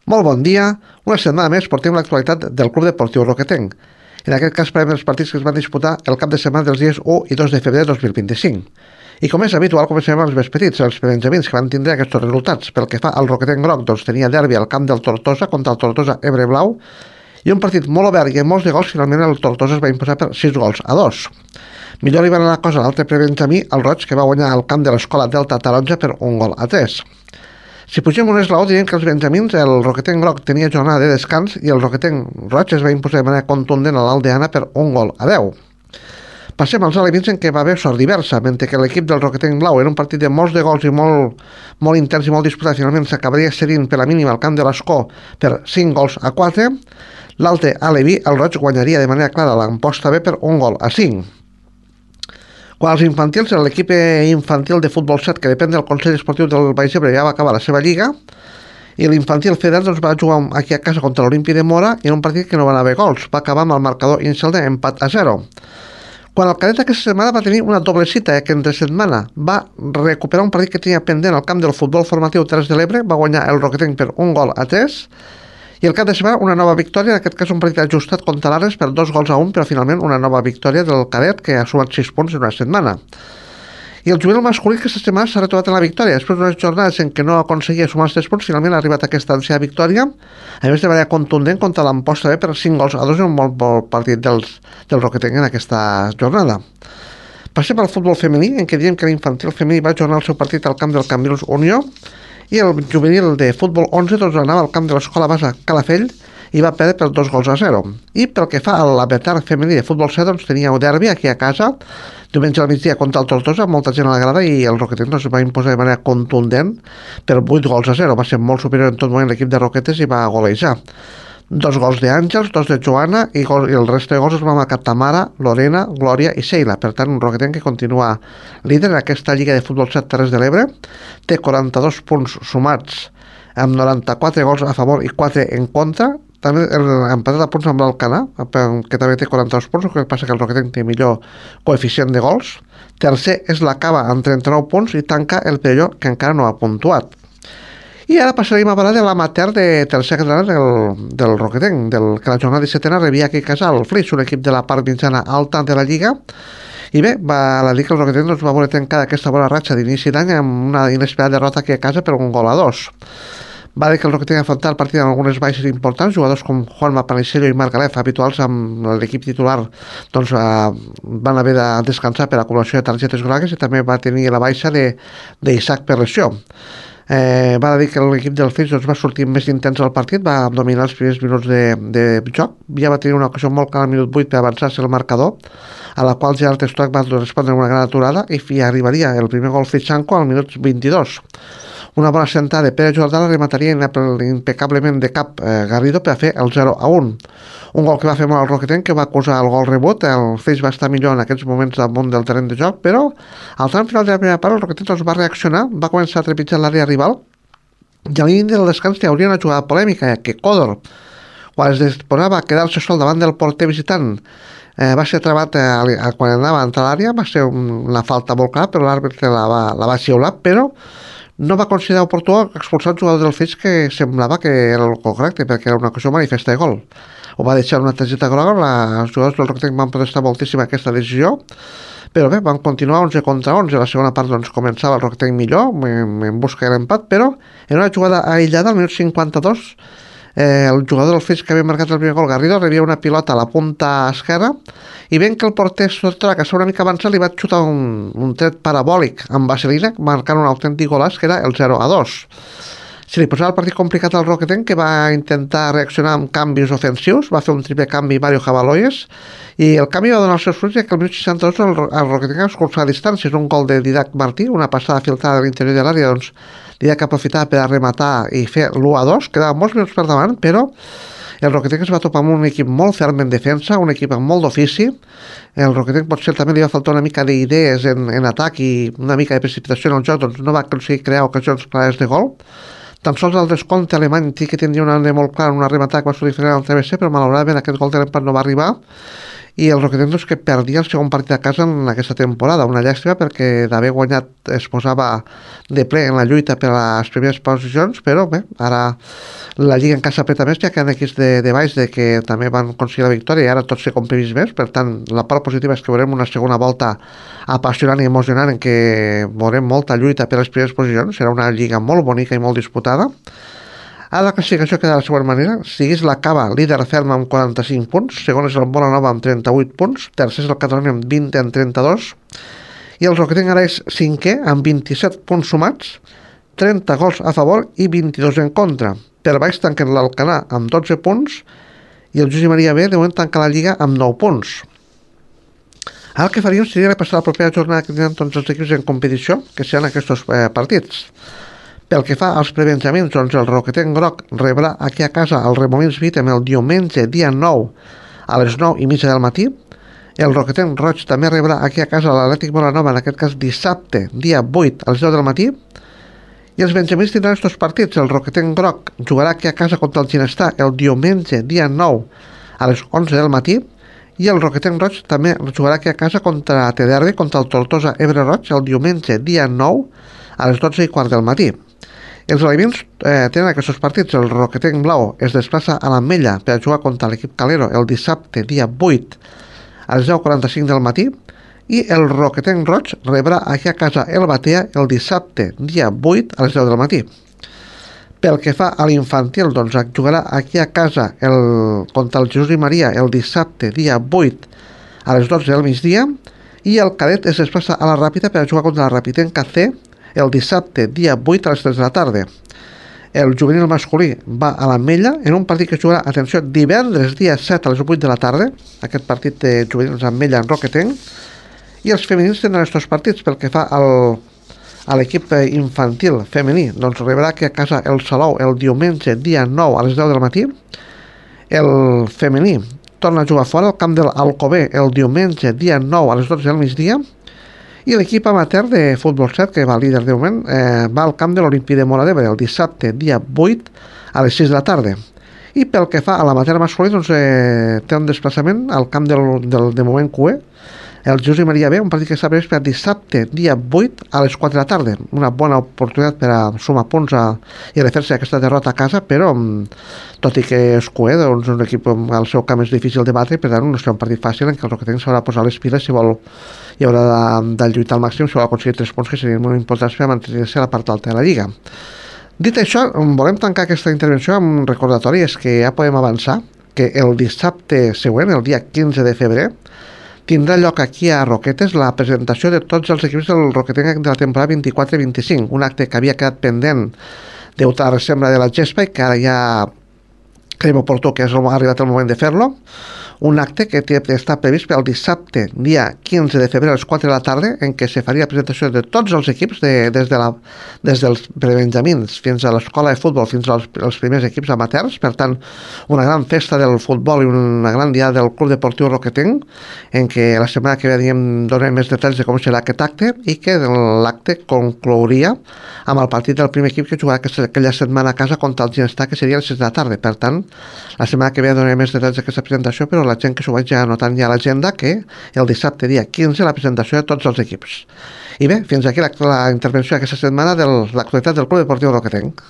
Molt bon dia. Una setmana més portem l'actualitat del Club Deportiu Roquetenc. En aquest cas parlem dels partits que es van disputar el cap de setmana dels dies 1 i 2 de febrer de 2025. I com és habitual, comencem amb els més petits, els benjamins que van tindre aquests resultats. Pel que fa al Roquetenc Groc, doncs tenia derbi al camp del Tortosa contra el Tortosa Ebre Blau i un partit molt obert i amb molts de gols. Finalment el Tortosa es va imposar per 6-2. Millor li va anar la cosa a l'altre prebenjamí, el Roig, que va guanyar al camp de l'Escola Delta Taronja per 1-3. Si pugem un esglaó, diríem que els benjamins, el Roquetenc Groc tenia jornada de descans i el Roquetenc Roig es va imposar de manera contundent a l'Aldeana per 1-10. Passem als alevins en què va haver sort diversa, mentre que l'equip del Roquetenc Blau era un partit de molts de gols i molt intens i molt disputat, finalment s'acabaria cedint per la mínima al camp de l'Escó per 5-4. L'altre aleví, el Roig, guanyaria de manera clara l'Amposta B per 1-5. Quan als infantils, l'equip infantil de futbol 7, que depèn del Consell Esportiu del Baix Ebre, ja va acabar la seva lliga, i l'infantil federal doncs, va jugar aquí a casa contra l'Olimpi de Mora en un partit que no va haver gols. Va acabar amb el marcador inicial d'empat a 0. Quan el cadet aquesta setmana va tenir una doble cita, que entre setmana va recuperar un partit que tenia pendent al camp del futbol formatiu Terres de l'Ebre, va guanyar el Roquetenc per 1-3, i el cap de setmana una nova victòria, en aquest cas un partit ajustat contra l'Ares per 2-1, però finalment una nova victòria del cadet que ha sumat 6 punts en una setmana. I el juvenil masculí que aquesta setmana s'ha retrobat en la victòria. Després d'unes jornades en què no aconseguia sumar els 3 punts, finalment ha arribat a aquesta ànsia victòria, a més de manera contundent contra l'Amposta B per 5-2 en un molt bon partit del Roquetenc en aquesta jornada. Passem al futbol femení, en què diem que l'infantil femení va jornar el seu partit al camp del Cambrils Unió, i el juvenil de futbol 11 doncs anava al camp de l'Escola Basa Calafell i va perdre per 2-0. I pel que fa a la Betar femení de futbol 7, doncs tenia un derbi aquí a casa, diumenge al migdia contra el Tortosa, molta gent a la grada, i el Roquetenc doncs, va imposar de manera contundent per 8-0. Va ser molt superior en tot moment l'equip de Roquetes i va golejar. 2 gols d'Àngels, 2 de Joana i el reste de gols els va marcar Tamara, Lorena, Glòria i Sheila. Per tant, un Roquetenc que continua líder en aquesta Lliga de Futbol 7 Terres de l'Ebre. Té 42 punts sumats amb 94 gols a favor i 4 en contra. També empatat a punts amb l'Alcanar, que també té 42 punts, el que passa que el Roquetenc té millor coeficient de gols. Tercer és la Cava amb 39 punts i tanca el Perelló, que encara no ha puntuat. I ara passarem a parlar de l'amater de tercera catalana del Roquetenc, que la jornada 17a rebia aquí a casa el Flix, un equip de la part mitjana alta de la Lliga. I bé, la dir que el Roquetenc doncs, va voler trencar aquesta bona ratxa d'inici d'any amb una inesperada derrota aquí a casa per 1-2. Va dir que el Roquetenc afrontar el partit amb algunes baixes importants, jugadors com Juanma Panicello i Marc Galef, habituals amb l'equip titular, doncs van haver de descansar per acumulació de targetes grogues, i també va tenir la baixa d'Isaac per lesió. Va dir que l'equip del Flix doncs, va sortir més intens al partit, va dominar els primers minuts de joc, ja va tenir una ocasió molt clara al minut 8 per avançar-se el marcador, a la qual Gerard Stock va respondre amb una gran aturada i arribaria el primer gol Flixanco al minut 22. Una bona sentada de Pere Jordà remataria impecablement de cap Garrido per a fer el 0-1. Un gol que va fer molt el Roquetenc, que va acusar el gol rebot. El Flix va estar millor en aquests moments damunt del terreny de joc, però al tram final de la primera part el Roquetenc doncs, va reaccionar, va començar a trepitjar l'àrea rival, i a l'inici del descans hi hauria una jugada polèmica, que Còdor, quan es disposava a quedar-se sol davant del porter visitant, va ser travat quan anava a entrar a l'àrea. Va ser una falta molt clara, però l'àrbitre la va xiular, però no va considerar oportú expulsar el jugador del Flix, que semblava que era el correcte, perquè era una ocasió manifesta de gol. Ho va deixar una targeta groga. Els jugadors del Roquetenc van protestar moltíssim aquesta decisió, però bé, van continuar 11 contra 11. La segona part doncs, començava el Roquetenc millor, en busca de l'empat, però en una jugada aïllada al minut 52, el jugador del Flix que havia marcat el primer gol, Garrido, rebia una pilota a la punta esquerra, i ben que el porter Sotra, que estava una mica avançat, li va xutar un tret parabòlic amb vaselina, marcant un autèntic golaç, que era el 0-2. Se li posava el partit complicat al Roquetenc, que va intentar reaccionar amb canvis ofensius, va fer un triple canvi Mario Jabaloyes, i el canvi va donar els seus fruits, que al minut 62 el Roquetenc va escurçar a distàncies, un gol de Didac Martí, una passada filtrada de l'interior de l'àrea, doncs Didac aprofitava per arrematar i fer l'1-2, quedava molts minuts per davant, però el Roquetenc es va topar amb un equip molt ferm en defensa, un equip amb molt d'ofici. El Roquetenc potser també li va faltar una mica d'idees en atac i una mica de precipitació en el joc, doncs no va aconseguir crear ocasions clares de gol. Tan sols el descompte alemany sí que tindria una àrea molt clara, una rematada que va sortir al TBC, però malauradament aquest gol de l'empat no va arribar, i el Roquetenc que perdia el segon partit a casa en aquesta temporada, una llàstima perquè d'haver guanyat es posava de ple en la lluita per a les primeres posicions, però bé, ara la Lliga encara s'apreta més, ja que han equips de baix de que també van aconseguir la victòria i ara tot s'ha comprimís més, per tant la part positiva és que veurem una segona volta apassionant i emocionant en què veurem molta lluita per a les primeres posicions, serà una Lliga molt bonica i molt disputada. Ara la classificació queda de la següent manera. Siguis la Cava, líder ferm amb 45 punts, segon és el Molanova amb 38 punts, tercer és el Catalunya amb 20 en 32, i el Roquetenc ara és cinquè amb 27 punts sumats, 30 gols a favor i 22 en contra. Per baix tanquen l'Alcanar amb 12 punts i el Josep Maria B de moment tanca la Lliga amb 9 punts. Ara el que faríem seria repassar la propera jornada que tindran tots els equips en competició, que seran aquests partits. Pel que fa als prebenjamins, doncs el Roquetenc Groc rebrà aquí a casa el Remolins Vitem el diumenge, dia 9, a les 9:30 del matí. El Roquetenc Roig també rebrà aquí a casa l'Atlètic Molanova, en aquest cas dissabte, dia 8, a les 10 del matí. I els benjamins tindran aquests partits. El Roquetenc Groc jugarà aquí a casa contra el Ginestar el diumenge, dia 9, a les 11 del matí. I el Roquetenc Roig també jugarà aquí a casa contra TDR, contra el Tortosa Ebre Roig, el diumenge, dia 9, a les 12:15 del matí. Els alevins tenen aquests partits. El Roquetenc Blau es desplaça a l'Ametlla per a jugar contra l'equip Calero el dissabte, dia 8, a les 10:45 del matí, i el Roquetenc Roig rebrà aquí a casa el Batea el dissabte, dia 8, a les 10 del matí. Pel que fa a l'infantil, doncs jugarà aquí a casa contra el Jesús i Maria el dissabte, dia 8, a les 12 del migdia, i el cadet es desplaça a la Ràpita per a jugar contra la Rapitenca C el dissabte, dia 8, a les 3 de la tarda. El juvenil masculí va a l'Ametlla en un partit que es jugarà, atenció, divendres, dia 7, a les 8 de la tarda, aquest partit de juvenils Ametlla en Roquetenc, i els femenins tindran aquests partits. Pel que fa a l'equip infantil femení, doncs rebrà aquí a casa el Salou el diumenge, dia 9, a les 10 del matí. El femení torna a jugar fora al camp de l'Alcover el diumenge, dia 9, a les 12 del migdia. I l'equip amateur de futbol 7, que va líder de moment, va al camp de l'Olimpí de Móra d'Ebre el dissabte, dia 8, a les 6 de la tarda. I pel que fa a l'amateur masculí, doncs, té un desplaçament al camp de moment QE, el Jesús i Maria B, un partit que està previst per dissabte, dia 8, a les 4 de la tarda. Una bona oportunitat per a sumar punts i refer-se aquesta derrota a casa, però tot i que és QE, doncs un equip al seu camp és difícil de batre, per tant no serà un partit fàcil en què el Roquetenc s'haurà de posar les piles si vol, i haurà de lluitar al màxim si vol aconseguir 3 punts que serien molt importants per mantenir-se a la part alta de la Lliga. Dit això, volem tancar aquesta intervenció amb un recordatori, és que ja podem avançar que el dissabte següent, el dia 15 de febrer, tindrà lloc aquí a Roquetes la presentació de tots els equips del Roquetenc de la temporada 24-25, un acte que havia quedat pendent degut a la resembra de la gespa i que ara ja creiem oportú que ha arribat el moment de fer-lo. Un acte que està previst pel dissabte, dia 15 de febrer a les 4 de la tarda, en què se faria la presentació de tots els equips, des dels prebenjamins fins a l'escola de futbol, fins als primers equips amateurs. Per tant, una gran festa del futbol i una gran dia del Club Deportiu Roquetenc, en què la setmana que ve donarem més detalls de com serà aquest acte, i que l'acte conclouria amb el partit del primer equip que jugarà aquella setmana a casa contra el Ginestar, que seria a les 6 de la tarda. Per tant, la setmana que ve donarem més detalls d'aquesta presentació, però la gent que s'ho vaig ja anotant ja a l'agenda, que el dissabte dia 15 la presentació de tots els equips. I bé, fins aquí la intervenció d'aquesta setmana de l'actualitat del Club Deportiu Roquetenc.